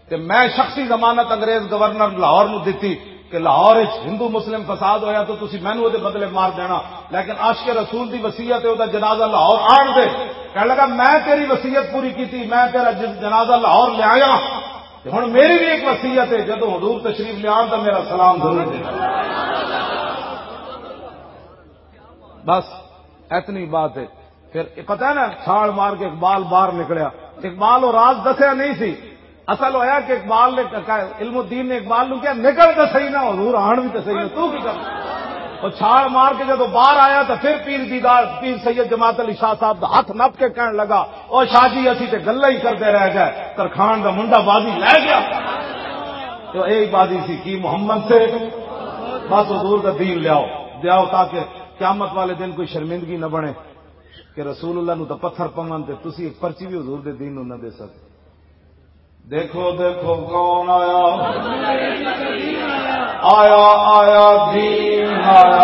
تے میں شخصی ضمانت انگریز گورنر لاہور نو دتی کہ لاہور وچ ہندو مسلم فساد ہویا تو تسی مینوں اودے بدلے مار دینا، لیکن عاشق رسول دی وصیت ہے، اودے جنازہ لاہور آن دے۔" کہنے لگا، "میں تیری وصیت پوری کیتی، میں تیرا جس جنازہ لاہور لے آیا، تے ہن میری بھی ایک وصیت ہے، جدوں حضور تشریف لے آن تو میرا سلام ضرور دے۔" بس اتنی بات ہے۔ پھر یہ پتہ ہے نا، چھال مار کے اقبال باہر نکلیا۔ اقبال وہ راز دسیا نہیں سی۔ اصل ہویا کہ اقبال نے کہا، علم الدین نے اقبال نو کہا، "نکل تے صحیح نہ، حضور آن بھی تے صحیح نہ، تو کی کر؟" وہ چھال مار کے جدوں باہر آیا تو پھر پیر دیدار، پیر سید جماعت علی شاہ صاحب دا ہاتھ نپ کے کہن لگا، "او شاہ جی، اسی تے گلاں ہی کردے رہ گئے، ترخان دا منڈا بازی لے گیا۔" تو یہی بازی سی کہ محمد سے بس حضور دا دین لیاؤ، لیاؤ تاکہ قیامت والے دن کوئی شرمندگی نہ بنے کہ رسول اللہ نو تاں پتھر پون تے تسی ایک پرچی بھی حضور دے دین نو نہ دے سکتے۔ دیکھو، دیکھو، کون آیا؟ آیا، آیا، دین آیا۔